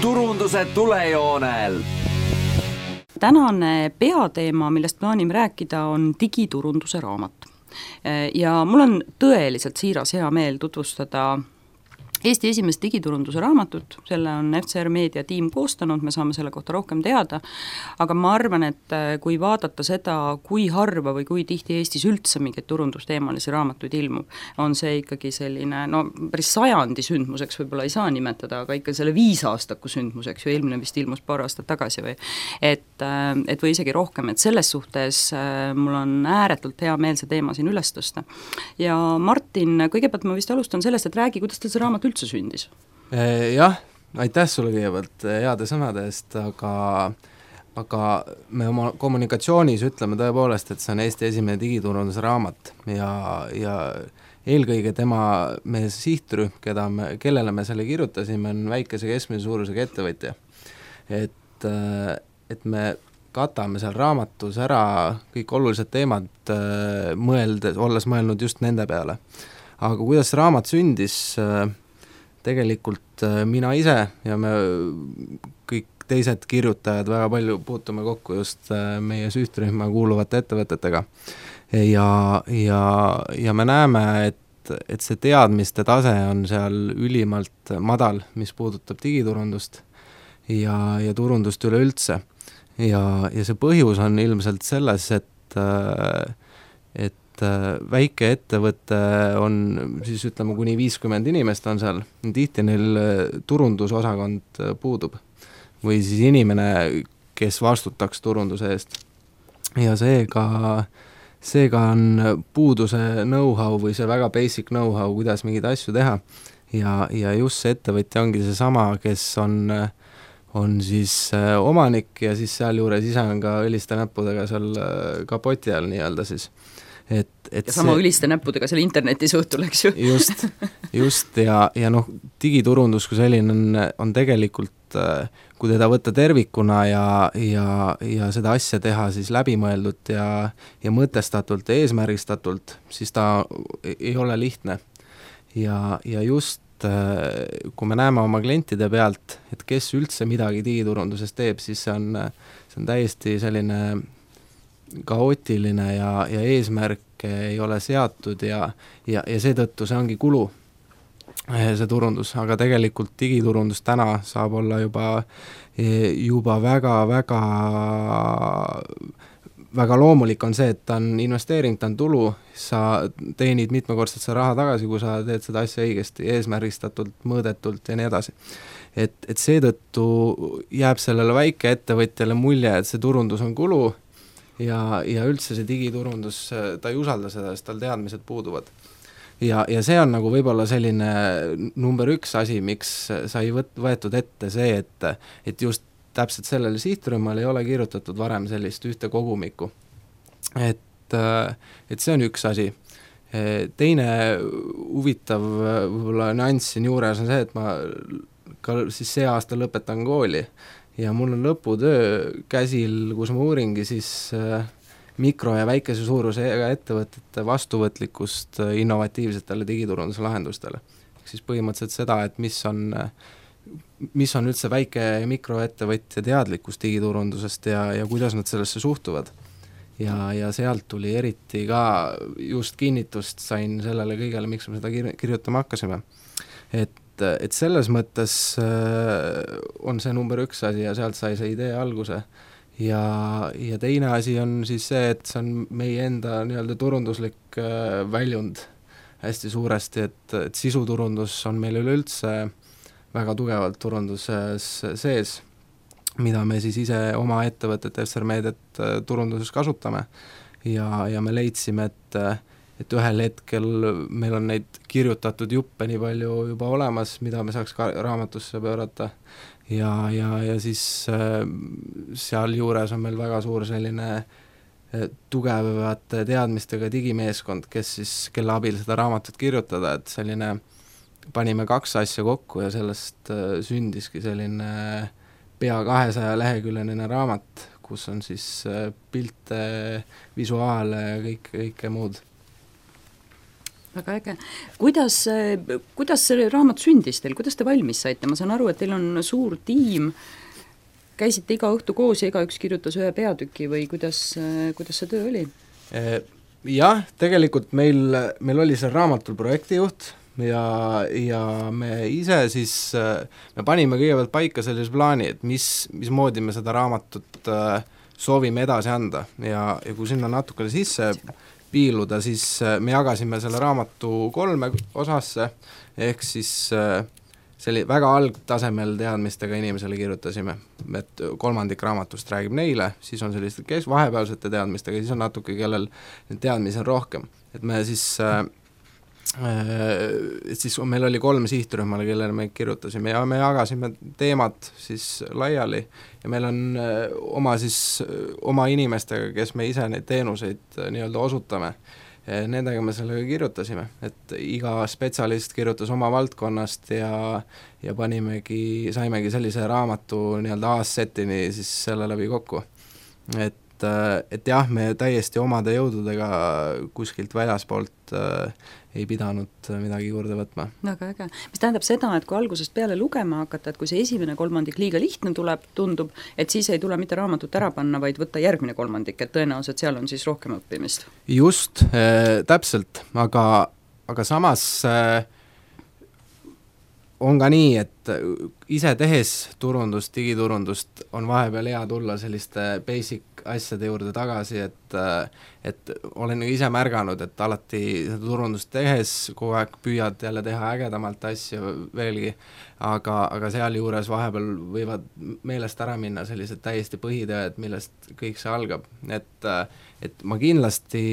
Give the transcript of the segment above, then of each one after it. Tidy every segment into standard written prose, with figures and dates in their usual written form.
turunduse tulejoonel. Tänane peateema, millest plaanime rääkida, on digiturunduse raamat. Ja mul on tõeliselt siiras hea meel tutvustada Eesti esimest digiturunduse raamatut, selle on FCR Meedia tiim koostanud, me saame selle kohta rohkem teada, aga ma arvan, et kui vaadata seda, kui harva või kui tihti Eestis üldse mingeid turundusteemalisi raamatuid ilmub, on see ikkagi selline, päris sajandi sündmuseks võib-olla ei saa nimetada, aga ikka selle 5 aastaku sündmuseks, ju eelmine vist ilmus paar aastat tagasi et või isegi rohkem, et selles suhtes mul on ääretult hea meel see teema siin üles tõsta. Ja Martin, kõigepealt ma vist alustan sellest, et räägi, kuidas teil see raamat üldse sündis? Jah, aitäh sulle kõigepealt heade sõnade eest, aga me oma kommunikatsioonis ütleme tõepoolest, et see on Eesti esimene digiturunduse raamat ja eelkõige meie sihtrühm, kellele me selle kirjutasime, on väikese keskmise suurusega ettevõtja. Et me katame seal raamatus ära kõik olulised teemad, olles mõelnud just nende peale. Aga kuidas raamat sündis, tegelikult mina ise ja me kõik teised kirjutajad väga palju puutume kokku just meie sihtrühma kuuluvate ettevõtetega ja me näeme, et see teadmiste tase on seal ülimalt madal, mis puudutab digiturundust ja turundust üleüldse ja see põhjus on ilmselt selles, et väike ettevõte on siis ütleme kuni 50 inimest on seal, tihti neil turundusosakond puudub või siis inimene, kes vastutaks turunduse eest. Ja seega on puuduse know-how või see väga basic know-how, kuidas mingeid asju teha ja just see ettevõtja ongi see sama, kes on siis omanik ja siis sealjuures ise on ka õliste näppudega seal kapoti all nii-öelda siis. Ja sama üliste näppudega seal internetis õhtul, eks ju. Just ja digiturundus kui selline on tegelikult, kui teda võtta tervikuna ja seda asja teha siis läbimõeldult ja mõtestatult ja eesmärgistatult, siis ta ei ole lihtne. Ja just kui me näeme oma klientide pealt, et kes üldse midagi digiturunduses teeb, siis see on täiesti selline kaootiline ja eesmärk ei ole seatud ja seetõttu see ongi kulu, see turundus, aga tegelikult digiturundus täna saab olla juba väga loomulik on see, et ta on investeering, ta on tulu, sa teenid mitmekordselt see raha tagasi, kui sa teed seda asja õigesti, eesmärgistatult, mõõdetult ja nii edasi. Et seetõttu jääb sellele väike ettevõtjale mulje, et see turundus on kulu ja üldse see digiturundus, ta ei usalda seda, sest tal teadmised puuduvad. Ja see on nagu võib-olla selline number 1 asi, miks sai võetud ette see, et just täpselt sellele sihtrühmale ei ole kirjutatud varem sellist ühte kogumikku. Et see on üks asi. Teine huvitav võib-olla nüanss siin juures on see, et ma ka siis see aasta lõpetan kooli ja mul on lõputöö käsil, kus ma uuringi siis mikro- ja väikese suurusega ettevõtete vastuvõtlikkust innovatiivsetele digiturunduse lahendustele. Siis põhimõtteliselt seda, et mis on üldse väike ja mikroettevõtja teadlikkus digiturundusest ja kuidas nad sellesse suhtuvad. Ja sealt tuli eriti ka just kinnitust sain sellele kõigele, miks me seda kirjutama hakkasime. Et selles mõttes on see number 1 asi ja sealt sai see idee alguse. Ja teine asi on siis see, et see on meie enda nii-öelda turunduslik väljund hästi suuresti, et sisuturundus on meil üleüldse väga tugevalt turunduses sees, mida me siis ise oma ettevõtete FCR Mediat turunduses kasutame ja me leidsime, et ühel hetkel meil on neid kirjutatud juppe nii palju juba olemas, mida me saaks ka raamatusse pöörata ja siis seal juures on meil väga suur selline tugevate teadmistega digimeeskond, kelle abil seda raamatut kirjutada, et selline panime 2 asja kokku ja sellest sündiski selline pea 200 leheküljeline raamat, kus on siis pilte, visuaale ja kõike muud. väga äge. Kuidas see raamat sündis teil, kuidas te valmis saite? Ma saan aru, et teil on suur tiim, käisite iga õhtu koos ja igaüks kirjutas ühe peatüki või kuidas see töö oli? Jah, tegelikult meil oli see raamatul projektijuht ja me ise siis, me panime kõigepealt paika sellise plaani, et mismoodi me seda raamatut soovime edasi anda ja kui sinna natukene sisse piiluda, siis me jagasime selle raamatu 3 osasse, ehk siis see väga algtasemel teadmistega inimesele kirjutasime, et 1/3 raamatust räägib neile, siis on selliste vahepealsete teadmistega, siis on natuke, kellel teadmisi on rohkem. Et me siis meil oli 3 sihtrühmale, kellele me kirjutasime ja me jagasime teemad siis laiali ja meil on oma inimestega, kes me ise neid teenuseid nii-öelda osutame, nendega me sellega kirjutasime, et iga spetsialist kirjutas oma valdkonnast ja saimegi sellise raamatu nii-öelda assetini siis selle läbi kokku. Et jah, me täiesti omade jõududega kuskilt väljaspoolt ei pidanud midagi juurde võtma. Väga äge. Mis tähendab seda, et kui algusest peale lugema hakata, et kui see esimene 1/3 liiga lihtne tundub, et siis ei tule mitte raamatut ära panna, vaid võtta järgmine 1/3, et tõenäoliselt seal on siis rohkem õppimist. Just, täpselt, aga samas on ka nii, et ise tehes turundust, digiturundust on vahepeal hea tulla selliste basic asjade juurde tagasi, et olen ise märganud, et alati seda turundust tehes kogu aeg püüad jälle teha ägedamalt asju veelgi, aga sealjuures vahepeal võivad meelest ära minna sellised täiesti põhitööd, millest kõik see algab. Et ma kindlasti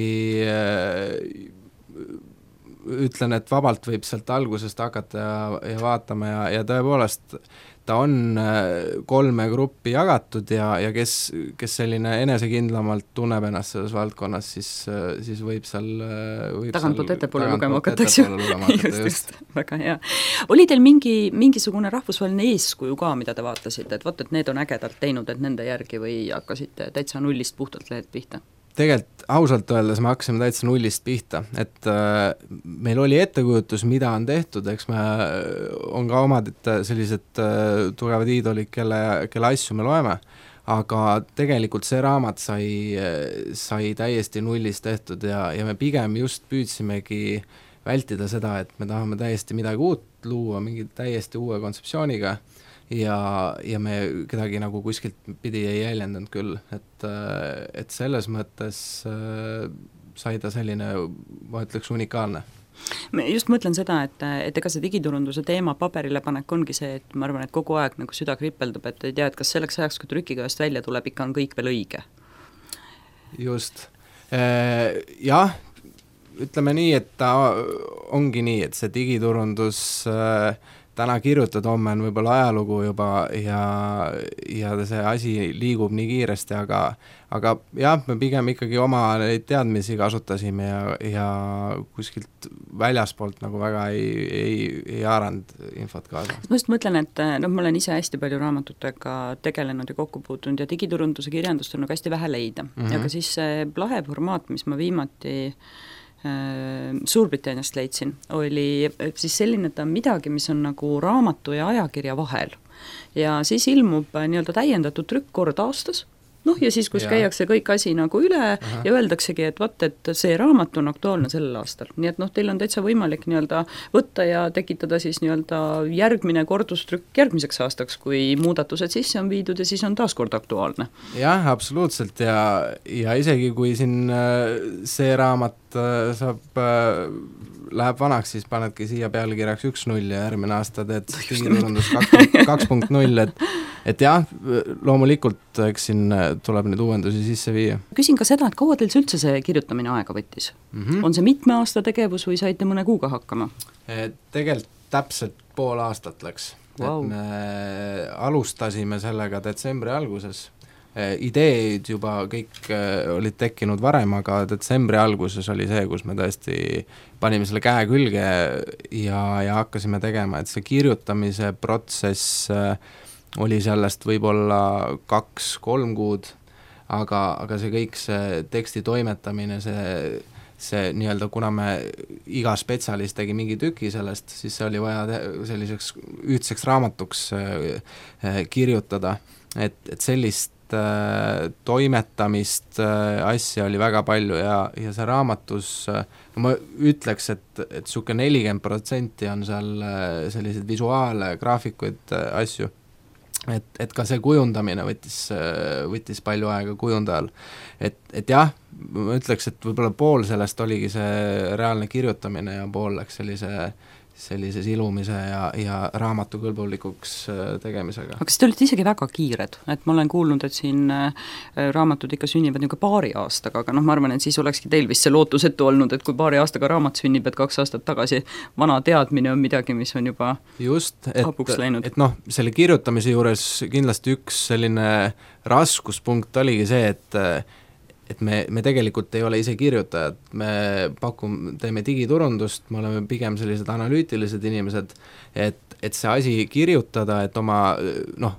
ütlen, et vabalt võib sealt algusest hakata ja vaatama ja tõepoolest ta on 3 gruppi jagatud ja kes selline enesekindlamalt tunneb ennast selles valdkonnas, siis võib seal tagantpoolt ettepoole lugema hakatakse. Just, väga hea. Oli teil mingisugune rahvusvaheline eeskuju ka, mida te vaatasite, et need on ägedalt teinud, et nende järgi või hakkasite täitsa nullist puhtalt lehed pihta? Tegelikult ausalt öeldes me hakkasime täitsa nullist pihta, et meil oli ettekujutus, mida on tehtud, eks me on ka omad sellised tugevad iidolid, kelle asju me loeme, aga tegelikult see raamat sai täiesti nullist tehtud ja me pigem just püüdsimegi vältida seda, et me tahame täiesti midagi uut luua, mingi täiesti uue kontseptsiooniga ja me kedagi nagu kuskilt pidi ei jäljendanud küll, et selles mõttes sai ta selline, ma ütleks, unikaalne. Ma just mõtlen seda, et ega see digiturunduse teema paberile panek ongi see, et ma arvan, et kogu aeg nagu süda kripeldub, et ei tea, et kas selleks ajaks, kui trükikojast välja tuleb, ikka on kõik veel õige. Just. Jah, ütleme nii, et ta ongi nii, et see digiturundus täna kirjutad, homme on võib-olla ajalugu juba ja see asi liigub nii kiiresti, aga jah, me pigem ikkagi oma neid teadmisi kasutasime ja kuskilt väljaspoolt nagu väga ei haaranud infot kaasa. Ma just mõtlen, et ma olen ise hästi palju raamatutega tegelenud ja kokku puutunud ja digiturunduse kirjandust on nagu hästi vähe leida. Aga siis see lahe formaat, mis ma viimati Suurbritanniast leidsin, oli siis selline, et on midagi, mis on nagu raamatu ja ajakirja vahel. Ja siis ilmub nii-öelda täiendatud trükk kord aastas, ja siis, kus käiakse kõik asi nagu üle ja öeldaksegi, et vaat, et see raamat on aktuaalne sellel aastal. Nii et teil on täitsa võimalik nii-öelda võtta ja tekitada siis nii-öelda järgmine kordustrükk järgmiseks aastaks, kui muudatused sisse on viidud ja siis on taas kord aktuaalne. Jah, absoluutselt ja isegi kui siin see raamat läheb vanaks, siis panedki siia pealkirjaks 1.0 ja järgmine aasta teed digiturundus 2.0, et jah, loomulikult eks siin tuleb neid uuendusi sisse viia. Küsin ka seda, et kaua teil üldse see kirjutamine aega võttis? On see mitme aasta tegevus või saite mõne kuuga hakkama? Tegelikult täpselt pool aastat läks. Wow. Et me alustasime sellega detsembri alguses. Ideed juba kõik olid tekkinud varem, aga detsembri alguses oli see, kus me tõesti panime selle käe külge ja hakkasime tegema, et see kirjutamise protsess oli sellest võib-olla 2-3 kuud, aga see kõik, see teksti toimetamine, see nii-öelda, kuna me iga spetsialist tegi mingi tüki sellest, siis see oli vaja selliseks ühtseks raamatuks kirjutada, et sellist toimetamist asja oli väga palju ja see raamatus, ma ütleks, et suke 40% on seal selliseid visuaale, graafikuid, asju. Et ka see kujundamine võttis palju aega kujundajal. Et jah, ma ütleks, et võib-olla pool sellest oligi see reaalne kirjutamine ja pool läks sellise silumise ja raamatukõlbulikuks tegemisega. Aga kas te olite isegi väga kiired? Et ma olen kuulnud, et siin raamatud ikka sünnivad niisugune paari aastaga, aga ma arvan, et siis olekski teil vist see lootusetu olnud, et kui paari aastaga raamat sünnib, et 2 aastat tagasi vana teadmine on midagi, mis on juba hapuks läinud. Et selle kirjutamise juures kindlasti üks selline raskuspunkt oligi see, et me tegelikult ei ole ise kirjutajad, me teeme digiturundust, me oleme pigem sellised analüütilised inimesed, et see asi kirjutada, et oma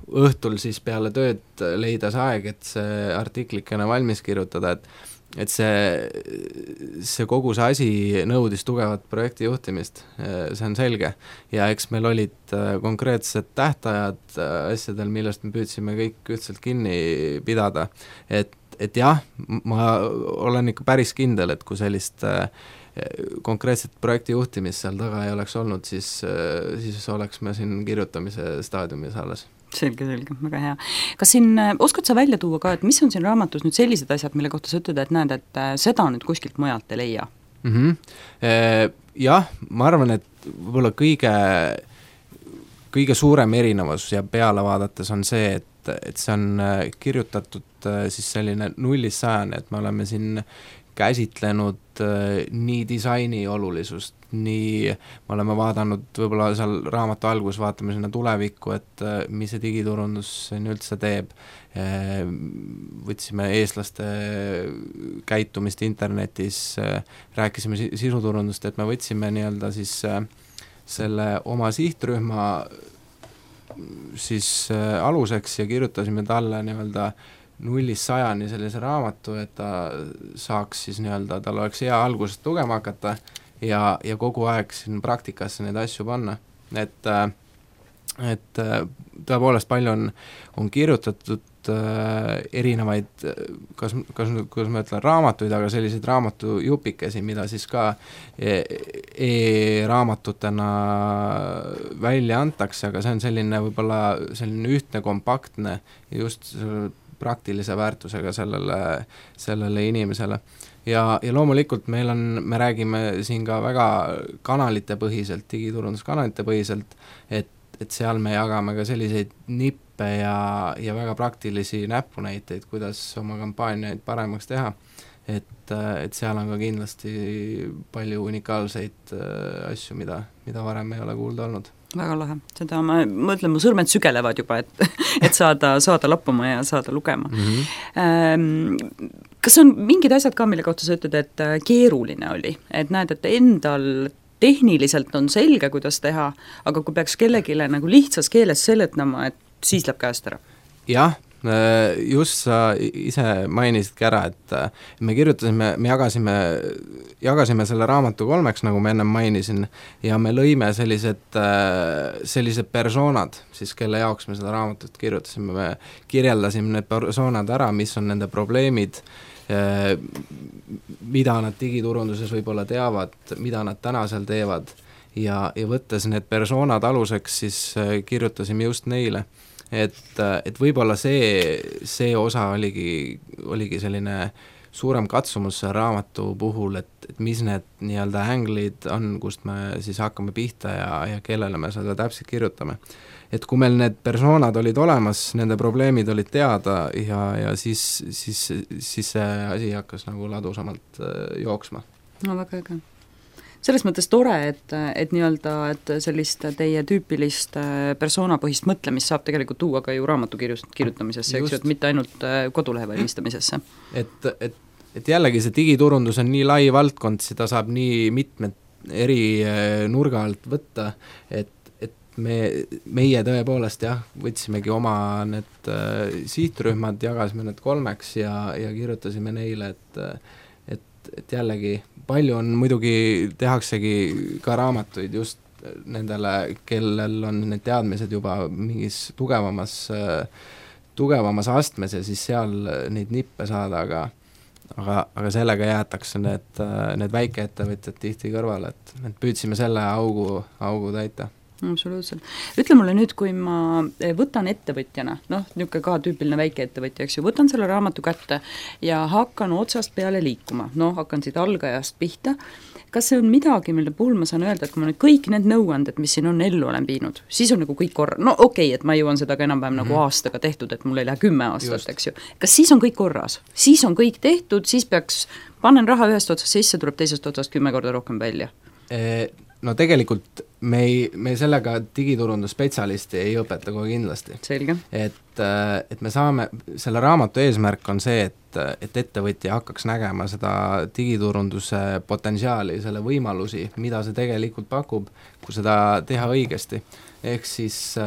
õhtul siis peale tööd leida see aeg, et see artiklikene valmis kirjutada, et see kogu see asi nõudis tugevat projekti juhtimist, see on selge. Ja eks meil olid konkreetsed tähtajad asjadel, millest me püüdsime kõik ühtselt kinni pidada, et jah, ma olen ikka päris kindel, et kui sellist konkreetset projekti juhtimist seal taga ei oleks olnud, siis oleks me siin kirjutamise staadiumis alles. Selge, väga hea. Kas siin oskad sa välja tuua ka, et mis on siin raamatus nüüd sellised asjad, mille kohta sa ütled, et näed, et seda nüüd kuskilt mujalt ei leia? Jah, ma arvan, et võib-olla kõige suurem erinevus ja peale vaadates on see, et see on kirjutatud siis selline 0-100, et me oleme siin käsitlenud nii disaini olulisust, nii me oleme vaadanud võib-olla seal raamatu algus, vaatame sinna tulevikku, et mis see digiturundus üldse teeb, võtsime eestlaste käitumist internetis, rääkisime sisuturundust, et me võtsime nii-öelda siis selle oma sihtrühma siis aluseks ja kirjutasime talle nii-öelda 0-100 sellise raamatu, et ta saaks siis nii-öelda, tal oleks hea algusest lugema hakata ja kogu aeg siin praktikasse neid asju panna. Et tõepoolest palju on kirjutatud erinevaid, kuidas ma ütlen, raamatuid, aga selliseid raamatujupikesi, mida siis ka e-raamatutena välja antakse, aga see on selline võib-olla selline ühtne, kompaktne ja just praktilise väärtusega sellele inimesele. Ja loomulikult me räägime siin ka väga kanalite põhiselt, digiturunduskanalite põhiselt, et seal me jagame ka selliseid nippe ja väga praktilisi näpunäiteid, kuidas oma kampaaniaid paremaks teha, et seal on ka kindlasti palju unikaalseid asju, mida varem ei ole kuulda olnud. Väga lahe, seda ma mõtlen, mu sõrmed sügelevad juba, et saada lappuma ja saada lugema. Kas on mingid asjad ka, mille kohta sa ütled, et keeruline oli, et näed, et endal tehniliselt on selge, kuidas teha, aga kui peaks kellegile nagu lihtsas keeles seletama, et siis läheb käest ära? Jah, just sa ise mainisidki ära, et me kirjutasime, me jagasime selle raamatu 3, nagu ma ennem mainisin, ja me lõime sellised persoonad, siis kelle jaoks me seda raamatut kirjutasime, me kirjeldasime need persoonad ära, mis on nende probleemid, mida nad digiturunduses võib-olla teavad, mida nad täna seal teevad ja võttes need persoonad aluseks, siis kirjutasime just neile. Et võib-olla see osa oligi selline suurem katsumus raamatu puhul, et mis need nii-öelda änglid on, kust me siis hakkame pihta ja kellele me seda täpselt kirjutame. Et kui meil need persoonad olid olemas, nende probleemid olid teada ja siis see asi hakkas nagu ladusamalt jooksma. No väga äge. Selles mõttes tore, et nii-öelda, et sellist teie tüüpilist persoonapõhist mõtlemist saab tegelikult tuua ka ju raamatu kirjutamisesse, eks ju, et mitte ainult kodulehe valmistamisesse. Et jällegi see digiturundus on nii lai valdkond, seda saab nii mitmed eri nurga alt võtta, et meie tõepoolest võtsimegi oma need sihtrühmad, jagasime need 3 ja kirjutasime neile, et jällegi palju on muidugi, tehaksegi ka raamatuid just nendele, kellel on need teadmised juba mingis tugevamas astmes ja siis seal neid nippe saada, aga sellega jäetakse need väikeettevõtjad tihti kõrvale, et püüdsime selle augu täita. Absoluutselt. Ütle mulle nüüd, kui ma võtan ettevõtjana, niisugune ka tüüpiline väikeettevõtja, eks ju, võtan selle raamatu kätte ja hakkan otsast peale liikuma, hakkan siit algajast pihta, kas see on midagi, mille puhul ma saan öelda, et kui ma nüüd kõik need nõuanded, mis siin on ellu olen viinud, siis on nagu kõik okei, et ma jõuan seda ka enam-vähem nagu aastaga tehtud, et mul ei lähe 10 aastat, eks ju. Kas siis on kõik korras? Siis on kõik tehtud, siis peaks, panen raha ühest otsast sisse, tuleb teisest otsast 10 korda rohkem välja? No tegelikult me sellega digiturundusspetsialisti ei õpeta kohe kindlasti. Selge. Et me saame, selle raamatu eesmärk on see, et ettevõtja hakkaks nägema seda digiturunduse potentsiaali, selle võimalusi, mida see tegelikult pakub, kui seda teha õigesti. Ehk siis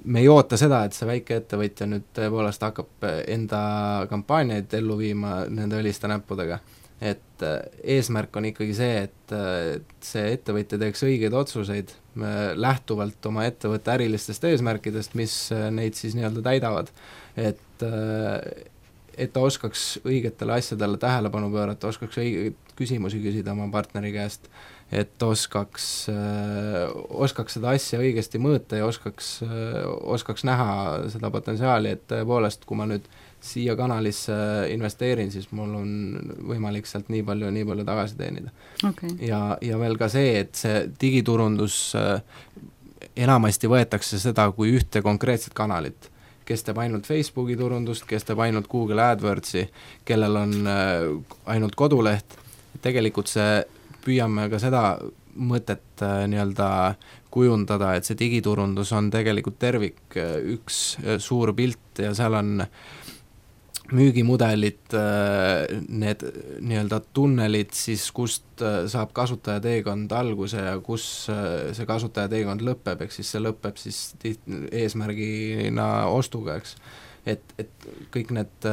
me ei oota seda, et see väike ettevõtja nüüd tõepoolest hakkab enda kampaaniaid ellu viima nende õliste näppudega. Et eesmärk on ikkagi see, et see ettevõtja teeks õigeid otsuseid lähtuvalt oma ettevõtte ärilistest eesmärkidest, mis neid siis nii-öelda täidavad. Et ta oskaks õigetele asjadele tähelepanu pöörata, oskaks õigeid küsimusi küsida oma partneri käest, et oskaks seda asja õigesti mõõta ja oskaks näha seda potentsiaali, et tõepoolest, kui ma nüüd siia kanalisse investeerin, siis mul on võimalik sealt nii palju tagasi teenida. Okay. Ja veel ka see, et see digiturundus enamasti võetakse seda kui ühte konkreetset kanalit, kes teeb ainult Facebooki turundust, kes teeb ainult Google AdWordsi, kellel on ainult koduleht. Tegelikult püüame ka seda mõtet nii-öelda kujundada, et see digiturundus on tegelikult tervik, üks suur pilt ja seal on müügimudelid, need nii-öelda tunnelid siis, kust saab kasutajateekond alguse ja kus see kasutajateekond lõpeb, eks siis see lõpeb siis eesmärgina ostuga, eks. Et kõik need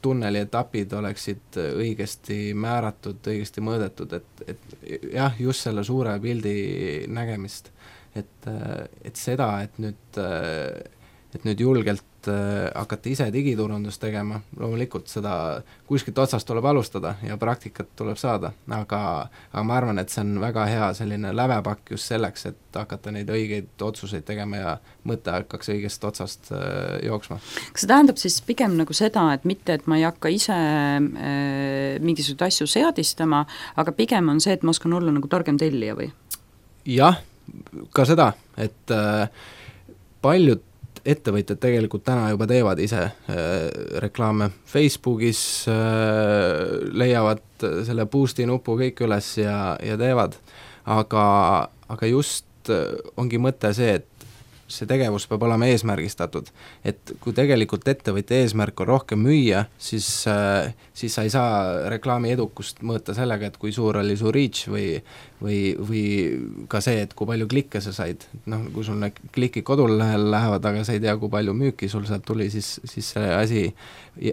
tunneli etapid oleksid õigesti määratud, õigesti mõõdetud, et jah, just selle suure pildi nägemist, et seda, et nüüd julgelt hakata ise digiturundust tegema, loomulikult seda kuskilt otsast tuleb alustada ja praktikat tuleb saada, aga ma arvan, et see on väga hea selline lävepakk just selleks, et hakata neid õigeid otsuseid tegema ja mõte hakkaks õigest otsast jooksma. Kas see tähendab siis pigem nagu seda, et mitte, et ma ei hakka ise mingisuguseid asju seadistama, aga pigem on see, et ma oskan olla nagu targem tellija või? Jah, ka seda, et paljud ettevõtjad tegelikult täna juba teevad ise reklaame Facebookis, leiavad selle boost'i nupu kõik üles ja teevad, aga just ongi mõte see, et see tegevus peab olema eesmärgistatud, et kui tegelikult ettevõtja eesmärk on rohkem müüa, siis sa ei saa reklaami edukust mõõta sellega, et kui suur oli su reach või ka see, et kui palju klikke sa said. Kui sul need klikid kodulehel lähevad, aga sa ei tea, kui palju müüki sul sealt tuli, siis see asi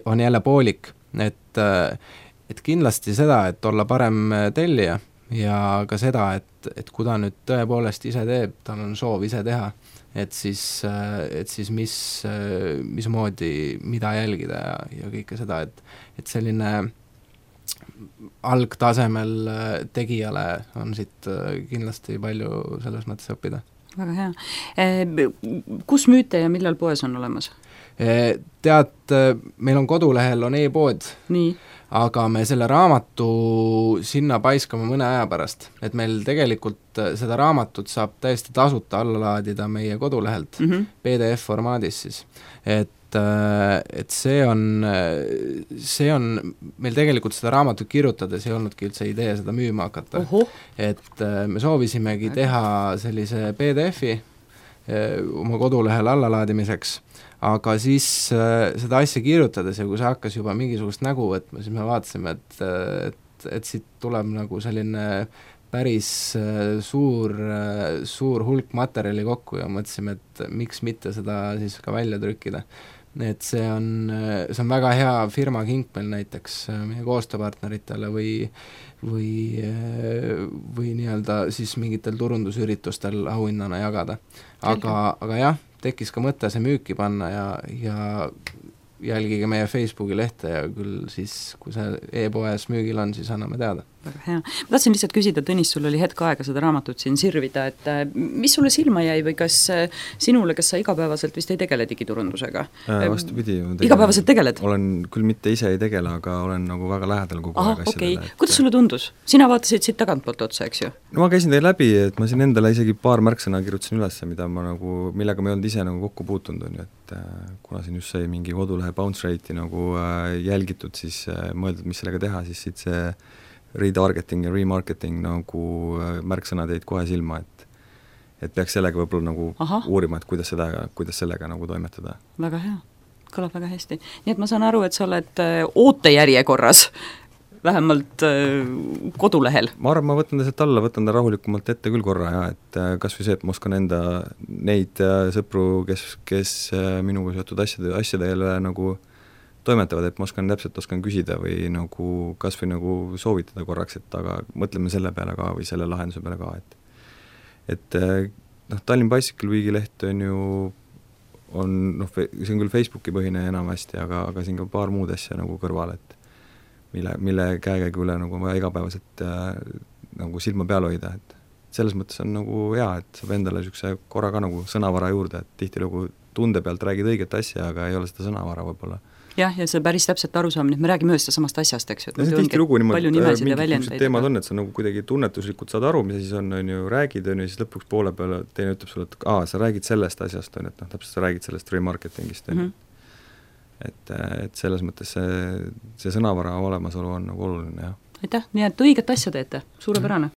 on jälle poolik, et kindlasti seda, et olla parem tellija ja ka seda, et kui ta nüüd tõepoolest ise teeb, tal on soov ise teha, et siis mismoodi, mida jälgida ja kõike seda, et selline algtasemel tegijale on siit kindlasti palju selles mõttes õppida. Väga hea. Kus müüte ja millal poes on olemas? Tead, meil on kodulehel on e-pood. Nii. Aga me selle raamatu sinna paiskame mõne aja pärast, et meil tegelikult seda raamatut saab täiesti tasuta alla laadida meie kodulehelt, PDF formaadis siis, et see on meil tegelikult seda raamatut kirjutades ei olnudki üldse idee seda müüma hakata. Et me soovisimegi teha sellise PDF-i oma kodulehel allalaadimiseks, aga siis seda asja kirjutades ja kui see hakkas juba mingisugust nägu võtma, siis me vaatasime, et siit tuleb nagu selline päris suur hulk materjali kokku ja mõtlesime, et miks mitte seda siis ka välja trükkida. et see on väga hea firma kink meil näiteks meie koostööpartneritele või nii-öelda siis mingitel turundusüritustel auhinnana jagada. Aga jah, tekkis ka mõte see müüki panna ja jälgige meie Facebooki lehte ja küll siis, kui see e-poes müügil on, siis anname teada. Väga hea. Ma tahtsin lihtsalt küsida, Tõnis, sul oli hetk aega seda raamatut siin sirvida, et mis sulle silma jäi või kas sa igapäevaselt vist ei tegele digiturundusega? Vastupidi. Igapäevaselt tegeled? Olen küll mitte ise ei tegele, aga olen nagu väga lähedal kogu aeg asjadele. Okay. Kuidas sulle tundus? Sina vaatasid siit tagantpoolt otsa, eks ju? No ma käisin teil läbi, et ma siin endale isegi paar märksõna kirjutasin üles, millega ma ei olnud ise nagu kokku puutunud on, et kuna siin just sai mingi kodulehe bounce rate'i nagu jälgitud, siis mõeldud, mis sellega teha, siis siit see retargeting ja remarketing nagu märksõnad jäid kohe silma, et peaks sellega võib-olla nagu uurima, et kuidas sellega nagu toimetada. Väga hea, kõlab väga hästi. Nii et ma saan aru, et sa oled ootejärjekorras, vähemalt kodulehel. Ma arvan, ma võtan ta sealt alla, võtan ta rahulikumalt ette küll korra ja et kas või see, et ma oskan enda neid sõpru, kes minuga seotud asjadele nagu toimetavad, et ma oskan küsida või nagu kas või nagu soovitada korraks, et aga mõtleme selle peale ka või selle lahenduse peale ka, et Tallinn Bicycle Weeki leht on ju see on küll Facebooki põhine enamasti, aga siin ka paar muud asja nagu kõrval, et mille käekäigu üle nagu vaja igapäevaselt nagu silma peal hoida, et selles mõttes on nagu hea, et saab endale niisuguse korra ka nagu sõnavara juurde, et tihti nagu tunde pealt räägid õiget asja, aga ei ole seda sõnavara võib-olla. Jah, ja see päris täpselt arusaamine, et me räägime ühest ja samast asjast, eks ju, et tihti lugu palju nimesid ja väljendeid. Teemad on, et sa nagu kuidagi tunnetuslikult saad aru, mis siis on ju, räägid, ja siis lõpuks poole peale teine ütleb sulle, et sa räägid sellest asjast, et täpselt sa räägid sellest remarketingist. Et selles mõttes see sõnavara olemasolu on nagu oluline, jah. Aitäh, nii et õiget asja teete, suurepärane.